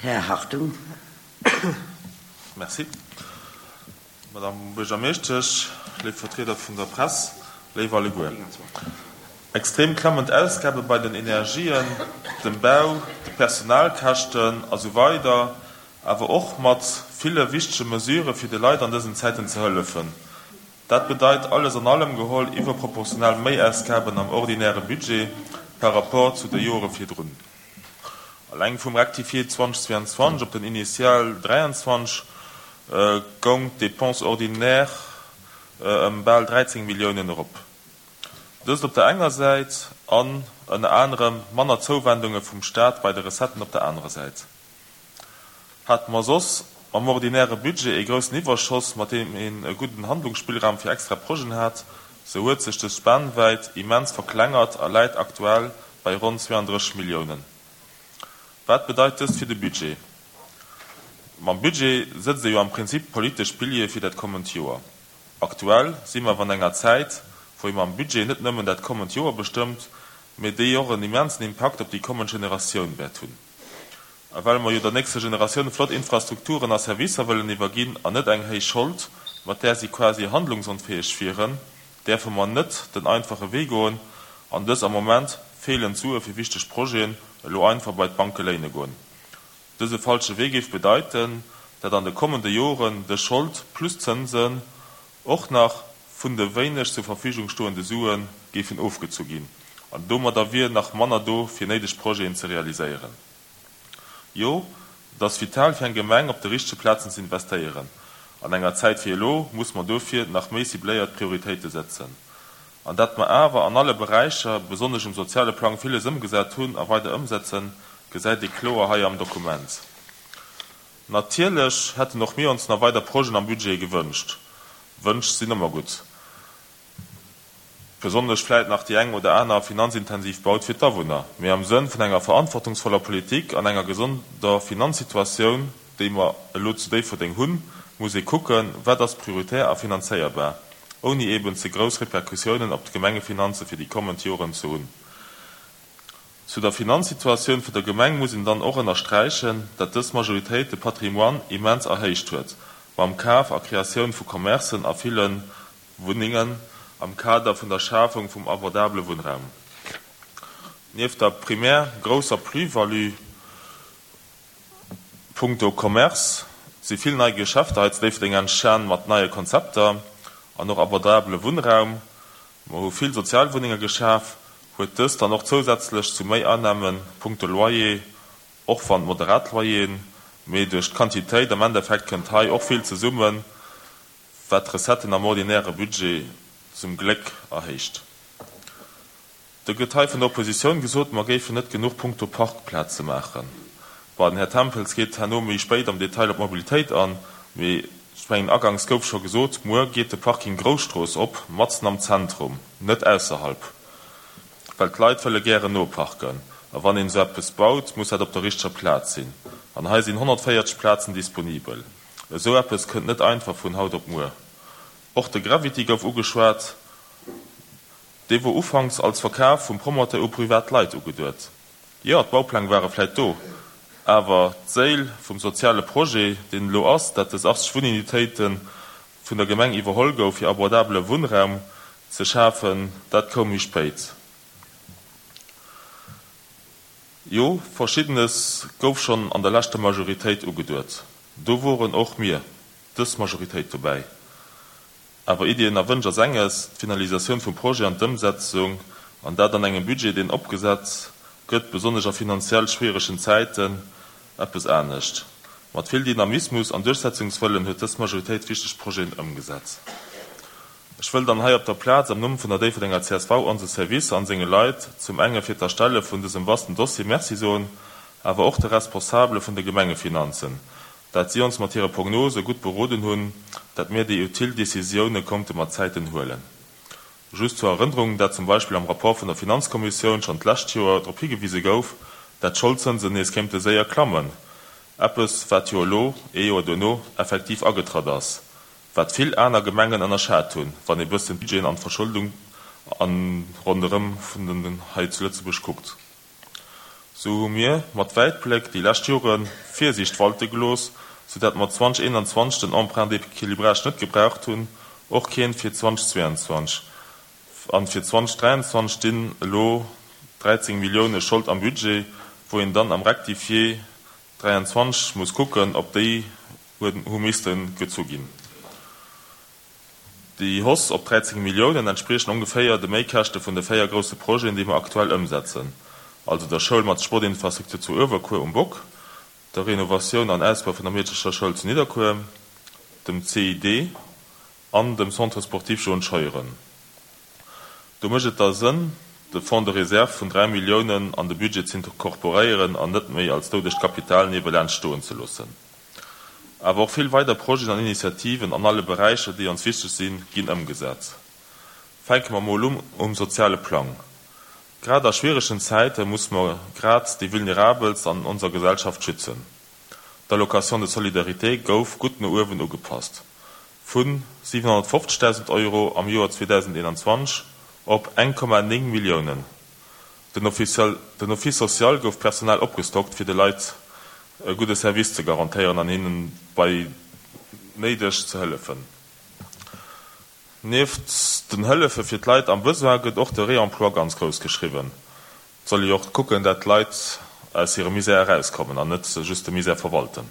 Här Hartung. Merci. Madame Buergermeeschtesch, léif Vertrieder vun der Press, léif alleguer. Extrem klemmend Ausgabe bei den Energien, dem Bau, de Personalkäschten a sou weider, awer och mat ville wichtege Mesurë fir de Leit an dësen Zäiten ze hëllefen. Dat bedeit alles an allem geholl iwwerproportional Méiausgaben am ordinäre Budget par rapport zu de Jore virdrun. Alleng vum Rectifié 2022 op den Initial 23 goung d'Dépense ordinaire ëm bal 13 Milliounen erop. Dëst op der enger Säit an ënner anerem manner Zouwendunge vum Staat bei de Recetten op der anerer Säit. Hate mer soss mam ordinäre Budget ee groussen Iwwerschoss, mat deem een e gudden Handlungsspillraum fir extra Projeten hat, sou huet sech dës Spannwäit immens verklengert a läit aktuell bei ronn 32 Milliounen. Wat bedeit dëst fir de Budget? Mam Budget sëtzt ee jo am Prinzip d'politesch Piliere fir dat kommend Joer. Aktuell si mer awer an enger Zäit, wou ee mam Budget net nëmmen dat kommend Joer bestëmmt, mee déi och en immensen Impakt op déi kommend Generatioun wäert hunn. A well mer jo der nächster Generatioun flott Infrastrukturen a Servicer wëllen iwwerginn an net eng héich Schold, mat där si quasi handlungsonfäeg wieren, däerfe mer net den einfache Wee goen an dës am Moment feelend Sue fir wichteg Projeten elo einfach bei d'Banke léine goen. Dëse falsche Wee géif bedeiten, dat an de kommende Joren dës Schold plus Zënsen och nach vun de wéineg zur Verfügung stoende Sue géifen ofgezu ginn an domadder wier nach manner do fir néideg Projeten ze realiséieren. Jo, et ass vital fir eng Gemeng op de richtege Plazen ze investéieren. An enger Zäit wéi elo muss mer dofir nach méi cibléiert Prioritéite setzen. An dat mer awer an alle Beräicher, besonnesch um soziale Plang villes ëmgesat hunn a weider ëmsetzen, gesäit ee kloer hei am Dokument. Natierlech hätten och mir ons nach weider Projeten am Budget gewënscht. Wënsch sinn ëmmer gutt. Besonnesch vläit nach déi eng oder aner finanzintensiv Baut fir d'Awunner. Mee am Sënn vun enger verantwortungsvoller Politik an enger gesonder Finanzsituatioun, déi mer elo zu Déifferdeng hunn, muss ee kucken, wat ass prioritär a finanzéierbar, ouni eeben ze grouss Repercussiounen op d'Gemengefinanze fir déi kommend Joren ze hunn. Zu der Finanzsituatioun vun der Gemeng muss een dann och ënnersträichen, dat dës Majoritéit de Patrimoine immens erhéicht huet, mam Kaf a Kreatioun vu Commercen a ville Wunnengen am Kader vun der Schafung vum abordabele Wunnraum. Nieft der primär grousser Plus-value punkto Commerce si vill nei Geschäfter hei zu Déifferdeng entstan mat neie Konzepter an och abordabele Wunnraum. Mer hu vill Sozialwunnenge geschaf, huet dëst dann och zousätzlech zu méi Annamen punkto Loyer, och wann moderat Loyeren, mee duerch d'Quantitéit am Endeffekt kënnt hei och vill zesummen, wat d'Recetten am ordinäre Budget zum Gléck erhéicht. Da gëtt hei vun der Oppositioun gesot, mer géifen net genuch punkto Parkplaze maachen. Bon, den Här Tempels geet herno méi spéit am Detail op d'Mobilitéit an, mee ech mengen, aganks gouf scho gesot, muer geet de Parking Grousstrooss op, matzen am Zentrum, net ausserhalb, well d'Leit wëlle gären no parken. A wann een esou eppes baut, muss dat op der richteger Plaz sinn. An hei sinn 140 Plazen disponibel. Esou eppes kënnt net einfach vun haut op muer. Och de Gravity gouf ugeschwat. Dee wor ufanks als Verkaf vum Promoteur u privat Leit ugeduet. Jo, d'Baupläng ware vläit do, awer d'Séil vum soziale Projet, deen elo ass, dat des 80 Wunnunitéite vun der Gemeng iwwerholl gouf fir abordabele Wunnraum ze schafen, dat koum méi spéit. Jo, Verschiddenes gouf schonn an der leschter Majoritéit ugeduet. Do woren och mir, dës Majoritéit, dobäi. Awer Iddien a Wënsch ass enges, d'Finalisatioun vum Projet an d'Ëmsetzung, an dat an engem Budget, deen opgesat gëtt, besonnesch a finanziell schwieregen Zäiten, eppes anescht. Mat vill Dynamismus an Duerchsetzungswëllen huet dës Majoritéit wichteg Projeten ëmgesat. Ech wëll dann hei op der Plaz am Numm vun der Déifferdenger csv onse Servicer an senge Leit zum enge fir d'Erstelle vun dësem vasten Dossier Merci soen, awer och de Responsabele vun de Gemengefinanzen, dat si ons mat hire Prognose gutt beroden hunn, dat mir déi utile Décisioune konnte mat Zäiten huelen. Just zur Erënnerung, dat zum Beispill am Rapport vun der Finanzkommissioun schonn d'lescht Joer drop higewise gouf, dat d'Scholdzënsen nees kéinte séier klammen, eppes wat jo elo, ee Joer duerno, effektiv agetratt ass, wat vill aner Gemengen ënnerschat hunn, wann ee bëssen d'Budgeten an d'Verschuldung an ronderëm vun den hei zu Lëtzebuerg kuckt. Sou hu mir mat Wäitbléck déi lescht Jore Virsiicht walte gelooss, sou dat mer 2021 den Emprunt d'équilibrage net gebraucht hunn, och keen fir 2022. An fir 2023 stinn elo 13 Millioune Schold am Budget, wou een dann am Rectifié 23 muss kucken, ob déi hu misste gezu ginn. Déi Hausse op 13 Milliounen entspriechen ongeféier de Méikäschte vun de 4 grousse Projeten, déi mer aktuell ëmsetzen, also der Schoul mat Sportinfrastruktur zu Uewerkuer um Bock, der Renovatioun an Ausbau vun der Meedecherschoul zu Nidderkuer, dem CID an dem Centre sportif Jaune Scheuren. Do mécht et da Sënn, de Fonds de réserve vun 3 Milliounen an de Budget z'incorporéieren an net méi als doudegt Kapital niewelaanscht stoen ze loossen. Awer och vill weider Projeten an Initiativen an alle Beräicher, déi ons wichteg sinn, ginn ëmgesat. Fänke mer mol un um soziale Plang. Grad a schwieregen Zäite muss mer grad déi Vulnerabelst an onser Gesellschaft schützen. D'Allocation de solidarité gouf gutt no uewen ugepasst, vu 750.000 Euro am Joer 2021 op 1,9 Milliounen. Den Office social gouf Personal opgestockt, fir de Leit e gudde Service ze garantéieren an hinnen bei néideg ze hëllefen. Nieft den Hëllefe fir d'Leit am Besoin gëtt och de Réemploi ganz grouss geschriwwen. Et soll ee jo och kucken, dat d'Leit aus hirem Misär erauskommen an net just de Misär verwalten.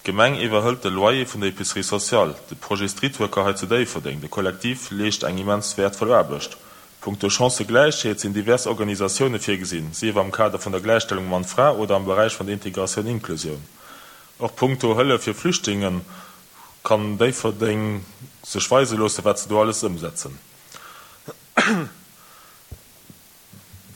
D'Gemeng iwwerhëlt de Loyer vun der Épicerie sociale, de Projet Streetworker hei zu Déifferdeng, de Kollektiv leescht eng immens wäertvoll Aarbecht. Punkto Chancëgläichheet sinn divers Organisatioune virgesinn, sief am Kader vun der Gläichstellung Mann-Fra oder am Beräich vun der Integratioun-Inklusioun. Och punkto Hëllef fir Flüchtlinge kann Déifferdeng sech weise loossen, wat se do alles ëmsetzen.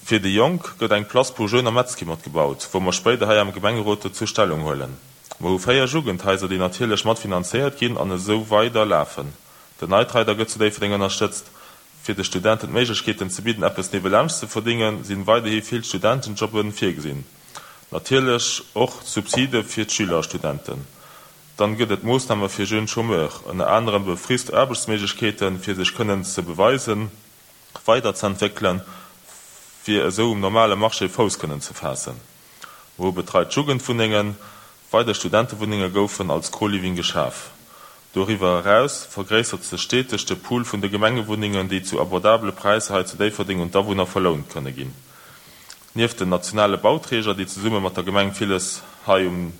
Fir déi Jonk gëtt eng Place pour jeunes am Metzki mat gebaut, wou mer spéider hei am Gemengerot dozou Stellung huelen. Mer hu 4 Jugendhaiser, déi natierlech mat finanzéiert ginn an esou weider lafen. Den Night Rider gëtt zu Déifferdeng ënnerstëtzt. Fir de Studenten d'Méiglechkeeten ze bidden eppes niewelaanscht ze verdéngen, sinn weiderhi vill Studentenjobben virgesinn. Natierlech och Subside fir d'Schüler a Studenten. Dann gëtt et Moossname fir jeunes chômeurs, ënner anerem befrist Aarbechtsméiglechkeeten, fir sech kënnen ze beweisen. weiderzëentwéckelen, fir esou um normale Marché Fouss kënnen ze faassen. Mer hu betreit Jugendwunnengen, weider Studentewunnenge goufen als Co-Living geschaf. Doriwwer eraus vergréissert sech steteg de Pool vun de Gemengewunnengen, déi zu abordabele Präisser hei zu Déifferdeng un d'Awunner verlount kënne ginn. Nieft den nationale Bauträger, déi zesumme mat der Gemeng villes hei um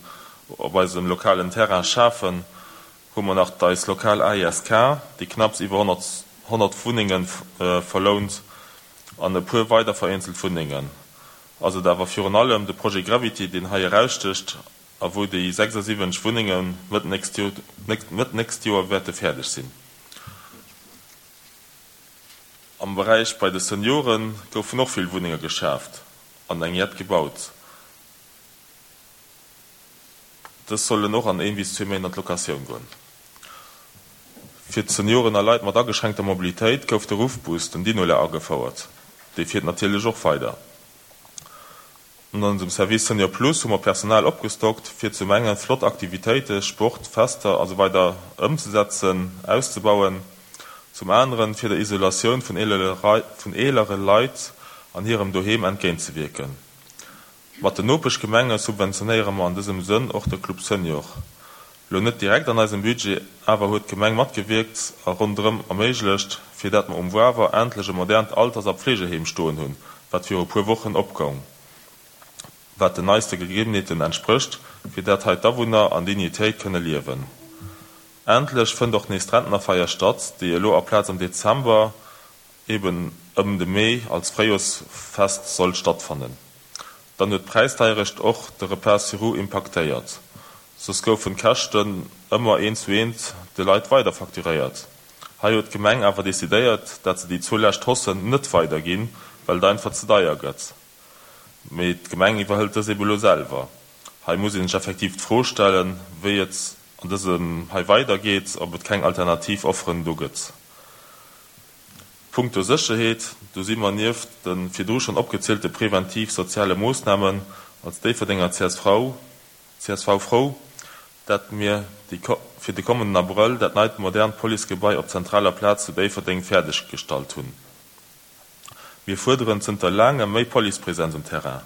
op eisem lokalen Terrain schafen, hu mer nach d'eis lokal AISK, déi knapps iwwer 100 Wunnenge verlount, an e puer weider vereenzelt Wunnengen. Ass et awer virun allem de Projet Gravity, deen hei erausstécht a wou déi 76 Wunnenge Mëtt nächst Joer wäerte fäerdeg sinn. Am Beräich bei de Seniore goufen och vill Wunnenge geschaaft an eng jett gebaut. Dës sollen och an een bis zwee Méint an d'Locatioun goen. Fir d'Senioren a Leit mat ageschränkter Mobilitéit gouf de Ruffbus, den Dinola, agefouert. Dee fiert natierlech och weider. An onsem Service Senior Plus hu mer Personal opgestockt, fir zum enge flott Aktivitéite, Sport, Fester a sou weider ëmzesetzen, auszebauen, zum aneren fir der Isolatioun vun eelere Leit an hirem Doheem entgéintzewierken. Mat den Nopeschgemenge subventionéiere mer an dësem Sënn och de Club Senior. Lo net direkt an eisem Budget, awer huet d'Gemeng matgewierkt a ronderëm erméiglecht, fir dat mer um Wawer endlech e modernt Alters a Pflegeheem stoen hunn, wat viru puer Wochen opgoung, wat den neiste Gegebenheeten entsprécht, fir dat hei d'Awunner an Dignitéit kënne liewen. Endlech fënnt och nees d'Rentnerfeier statt, déi elo aplaz am Dezember eben ëm de Mee als Fréijorsfest soll stattfannen. Dann huet d'Präisdeierecht och de Repas sur roues impaktéiert. Soss goufen d'Käschten ëmmer eent zu eent de Leit weider facturéiert. Hei huet d'Gemeng awer decidéiert, dat se déi zwou lescht Haussen net weider ginn, well et einfach ze deier gëtt. Mee d'Gemeng iwwerhëlt dës ebe lo selwer. Hei muss een sech effektiv d'Fro stellen, wéi et an dësem hei weider geet, ob et keng alternativ Offeren do gëtt. Punkto Sécherheet, do si mer nieft de virdru schonn opgezielte preventiv soziale Moossnamen als Déifferdenger csv csv frou, dat mir déi fir de kommenden Abrëll dat neit modernt Policegebai op zentraler Plaz zu Déifferdeng fäerdeg gestallt hunn. Mir fuerderen zënter laangem méi Policepresenz um Terrain.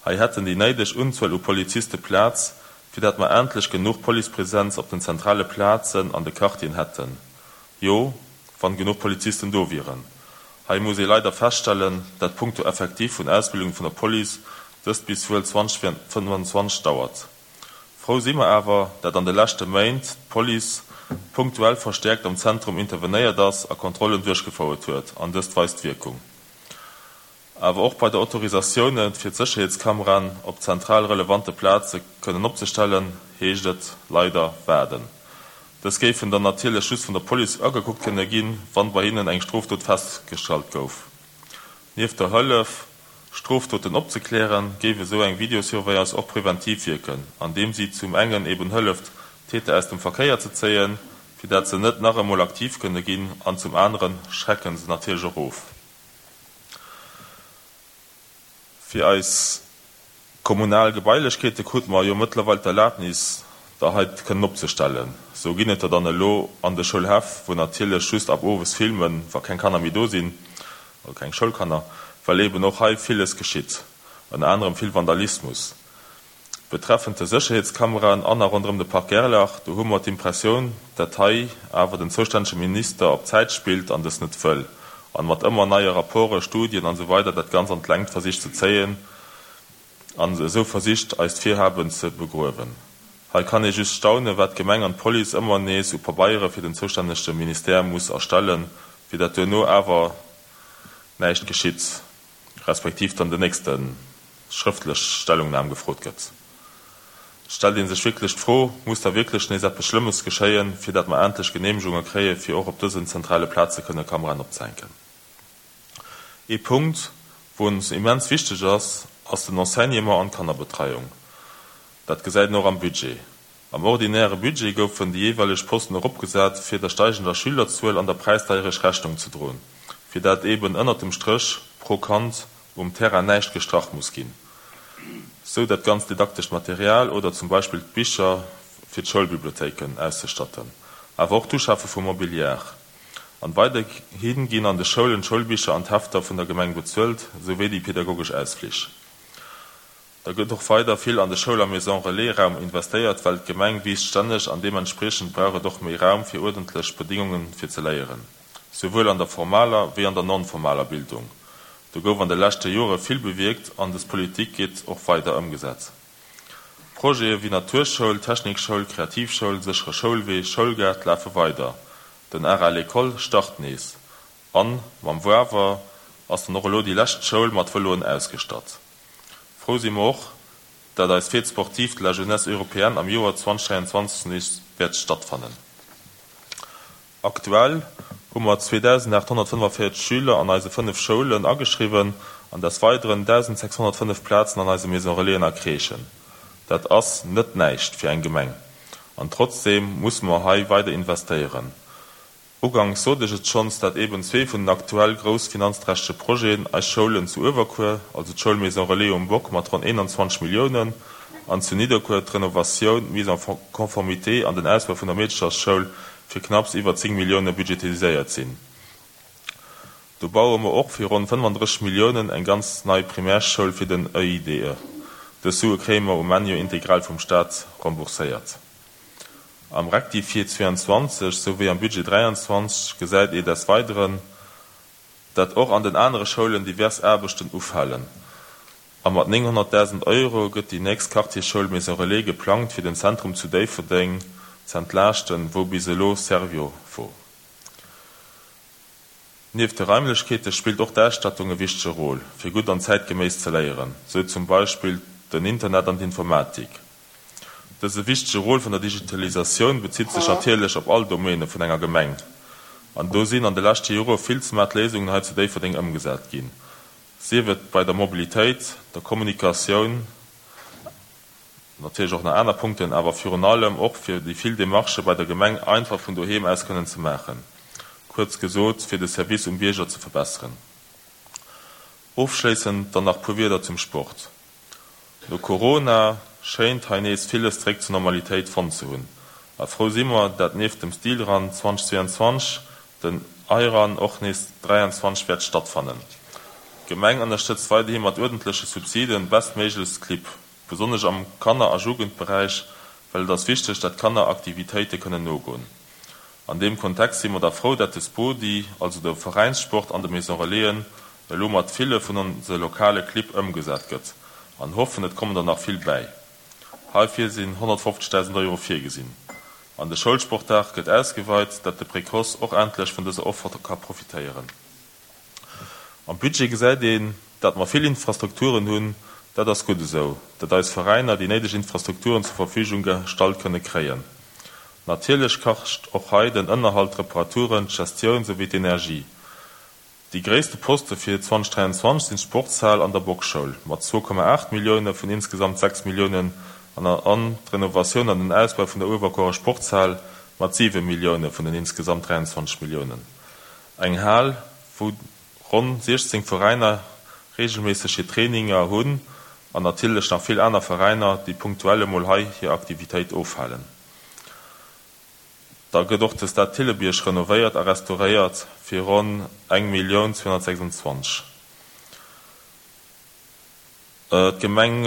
Hei hätten déi néideg Unzuel u Poliziste Plaz, fir dat mer endlech genuch Policepresenz op den zentrale Plazen an de Quartieren hätten. Jo, wann genuch Polizisten do wieren. Hei muss ee leider feststellen, dat punkto Effektif vun Ausbildung vun der Police dëst bis wuel 2025 dauert. Frou si mer awer, dat an de leschte Méint d'Police punktuell verstäerkt am Zentrum intervenéiert ass a Kontrollen duerchgefouert huet an dëst weist Wierkung. Awer och bei der Autorisatioune fir d'Sécherheetskameraen op zentral relevante Plaze kënnen opzestellen, heescht et leider waarden. Dës géifen dann natierlech just vun der Police agekuckt kënne ginn, wann bei hinnen eng Strofdot festgestallt gouf. Nieft der Hëllef, Strofdoten opzeklären, géif esou eng Videosurveillance och preventiv wierken, andeem si zum engen eben hëlleft, Täter aus dem Verkéier ze zéien, fir dat se net nach emol aktiv kënne ginn, an zum anere schrecken se natierlech och of. Fir eis kommunal Gebailechkeete krute mer jo mëttlerweil d'Erlaabnis, der hei kënnen opzestellen. Sou ginn et der dann elo an de Schoulhäff, wou natierlech just ab owes filmen, wa keng Kanner méi do sinn, also keng Schoulkanner, well eeben och hei villes geschitt, ënner anerem vill Vandalismus. Betreffend de Sécherheetskameraen an a ronderëm de Parc Gerlach, do hu mer d'Impressioun, dat hei awer den zoustännege Minister op Zäit spillt an dës net wëll, an mat ëmmer neie Rapporten, Studien an esou weider dat Ganz an d'Längt versicht ze zéien an esou versicht eist Virhaben ze begruewen. Hei kann ee just staunen, wat d'Gemeng an d'Police ëmmer nees u Pabeiere fir den zoustännegte Ministère muss erstellen, fir dat duerno awer näischt geschitt, respektiv dann den nächste schrëftlech Stellungnam gefrot gëtt. Et stellt ee sech wierklech d'Fro, Muss da wierklech nees eppes Schlëmmes geschéien, fir dat mer endlech Genehmegunge kréie fir och op dësen zentrale Plaze kënne Kameraen opzehänken? Ee Punkt, wou ons immens wichteg ass, ass den Enseignement an d'Kannerbetreiung. Dat gesäit een och am Budget. Am ordinäre Budget goufen déi jeeweileg Posten eropgesat, fir der steigender Schülerzuel an der Präisdeierecht Rechnung ze droen, fir dat eeben ënnert dem Stréch pro Kand um Terrain näischt gestrach muss ginn, sou dat ganzt didaktescht Material oder zum Beispill d'Bicher fir d'Schoulbibliothéiken auszestatten, awer och d'Uschafe vu Mobiliar. An weiderhi ginn an de Schoulen d'Schoulbicher an d'Hefter vun der Gemeng bezuelt, souwéi déi pedagogesch Ausflich. Da gëtt och weider vill an de Schoul a Maison Relais Raum investéiert, well d'Gemeng wiisst stänneg an deementspriechend brauch et och méi Raum fir uerdentlech Bedingungen fir ze léieren, souwuel an der formaler wéi an der non-formaler Bildung. Do gouf an de leschte Jore vill bewierkt an des Politik gétt och weider ëmgesat. Projete wéi Naturschoul, Technikschoul, Kreativschoul, séchere Schoulwee, Schoulgaart lafe weider. Den Art à l'école start nees an mam Wawer ass dann och elo déi lescht Schoul mat Vëloen ausgestatt. Frou si mer och, dat eis Fête sportive de la jeunesse européenne am Joer 2023 nees wäert stattfannen. Aktuell hu mer 2.845 Schüler an eise 5 Schoulen ageschriwwen an desweideren 1.605 Plazen an eise Maison Relaisen a Crèchen. Dat ass net näischt fir eng Gemeng an trotzdeem musse mer hei weider investéieren. Uganks sot ech et schonns, dat eben zwee vun den aktuell grouss finanzträchtege Projeten, eis Schoulen zu Uewerkuer, also d'Schoul Maison Relais um Bock mat ronn 21 Milliounen, an zu Nidderkuer d'Renovatioun, d'Mise en conformité an den Ausbau vun der Meedechersschoul fir knapps iwwer 10 Millioune budgetiséiert sinn. Do baue mer och fir ronn 35 Milliounen eng ganz nei Primärschoul fir den EIDE. Dës Sue kréie mer um Enn jo integral vum Stat rembourséiert. Am Rectifié 22 souwéi am Budget 23 gesäit ee des Weideren, dat och an den anere Schoulen divers Aarbechten ufalen. A mat 900.000 Euro gëtt déi nächst Quartiersschoul Maison Relais geplangt fir den Zentrum zu Déifferdeng z'entlaaschten, wou bis elo Servior wor. Nieft de Raimlechkeete spillt och d'Ausstattung e wichtege Rôle, fir gutt an zäitgeméiss ze léieren, sou zum Beispill den Internet an d'Informatik. Dëse wichtege Rôle vun der Digitalisatioun bezitt sech natierlech op all Domaine vun enger Gemeng. An do sinn an de leschte Jore vill smart Léisungen hei zu Déifferdeng ëmgesat ginn, sief et bei der Mobilitéit, der Kommunikatioun, natierlech och nach aner Punkten, awer virun allem och fir déi vill Demarchë bei der Gemeng einfach vun doheem aus kënnen ze maachen, kuerz gesot, fir de Service um Bierger ze verbesseren. Ofschléissend dann nach puer Wierder zum Sport. No Corona schéint hei nees villes zréck zur Normalitéit fonnt ze hunn a frou si mer, dat nieft dem Stilrun 2022 den iRun och nees 23 wäert stattfannen. D'Gemeng ënnerstëtzt weiderhi mat uerdentleche Subsiden bestméiglechst d'Clibb, besonnesch am Kanner a Jugendberäich, well et ass wichteg, dat d'Kanner Aktivitéite kënnen nogoen. An deem Kontext si mer da frou, dat de Spodi, also de Veräinssport an de Maison Relaisen, elo mat ville vun onse lokale Clibb ëmgesat gëtt an hoffen, et kommen der nach vill bäi. Heifir sinn 150.000 Euro virgesinn. An de Schoulsportdag gëtt ausgeweit, dat de Précoce och endlech vun dëser Offer ka profitéieren. Am Budget gesäit een, dat mer vill Infrastrukturen hunn. Dat ass gutt esou, dat eis Veräiner déi néideg Infrastrukturen zur Verfügung gestallt kënne kréien. Natierlech kascht och hei den Ënnerhalt, d'Reparaturen, d'Gestioun souwéi d'Energie. Déi gréisste Poste fir 2023 sinn d'Sportshal an der Boxschoul mat 2,8 Millioune vun insgesamt 6 Milliounen an an d'Renovatioun an den Ausbau vun der Uewerkuerer Sportshal mat 7 Millioune vun den insgesamt 23 Milliounen. Eng Hal, wou ronn 16 Veräiner reegelméisseg hir Traininger hunn an natierlech nach vill aner Veräiner, déi punktuell emol hei hir Aktivitéit ofhalen. Da gëtt och de Stade Thillebierg renovéiert a restauréiert fir ronn eng Millioun 226. D'Gemeng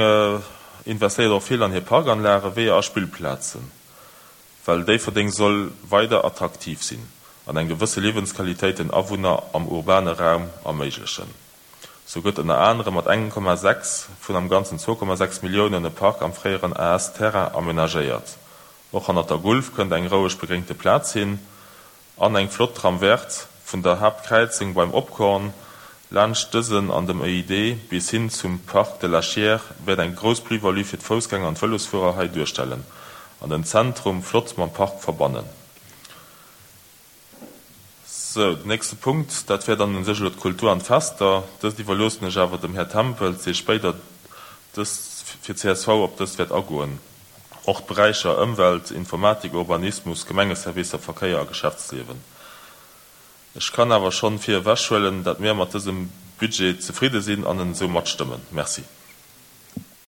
investéiert och vill an hir Parkanlagen, Weeër a Spillplazen, well Déifferdeng soll weider attraktiv sinn an eng gewësse Liewensqualitéit den Awunner am urbane Raum erméiglechen. Sou gëtt ënner anerem mat 1,6 vun am Ganzen 2,6 Milliounen e Park am fréieren AS-Terrain amenagéiert. Och hannert der Gulf kënnt eng roueg begréngte Plaz hin an eng flott Trame verte vun der Haaptkräizung beim Opkorn laanscht dësen an dem EID bis hin zum Parc de la Chiers wäert eng grouss Plus-value fir d'Foussgänger an d'Vëlosfuerer hei duerstellen an den Zentrum flott mam Park verbannen. Sou, den nächste Punkt, dat wär dann u sech elo d'Kultur an d'Fester. Dëst iwwerloossen ech awer dem Här Tempels, dee spéider dës fir csv op dëst wäert agoen. Och d'Beräicher Ëmwelt, Informatik, Urbanismus, Gemengeservicer, Verkéier a Geschäftsliewen. Ech kann awer schonn vir ewech huelen, dat mir mat dësem Budget zefridde sinn an en esou matstëmmen. Merci.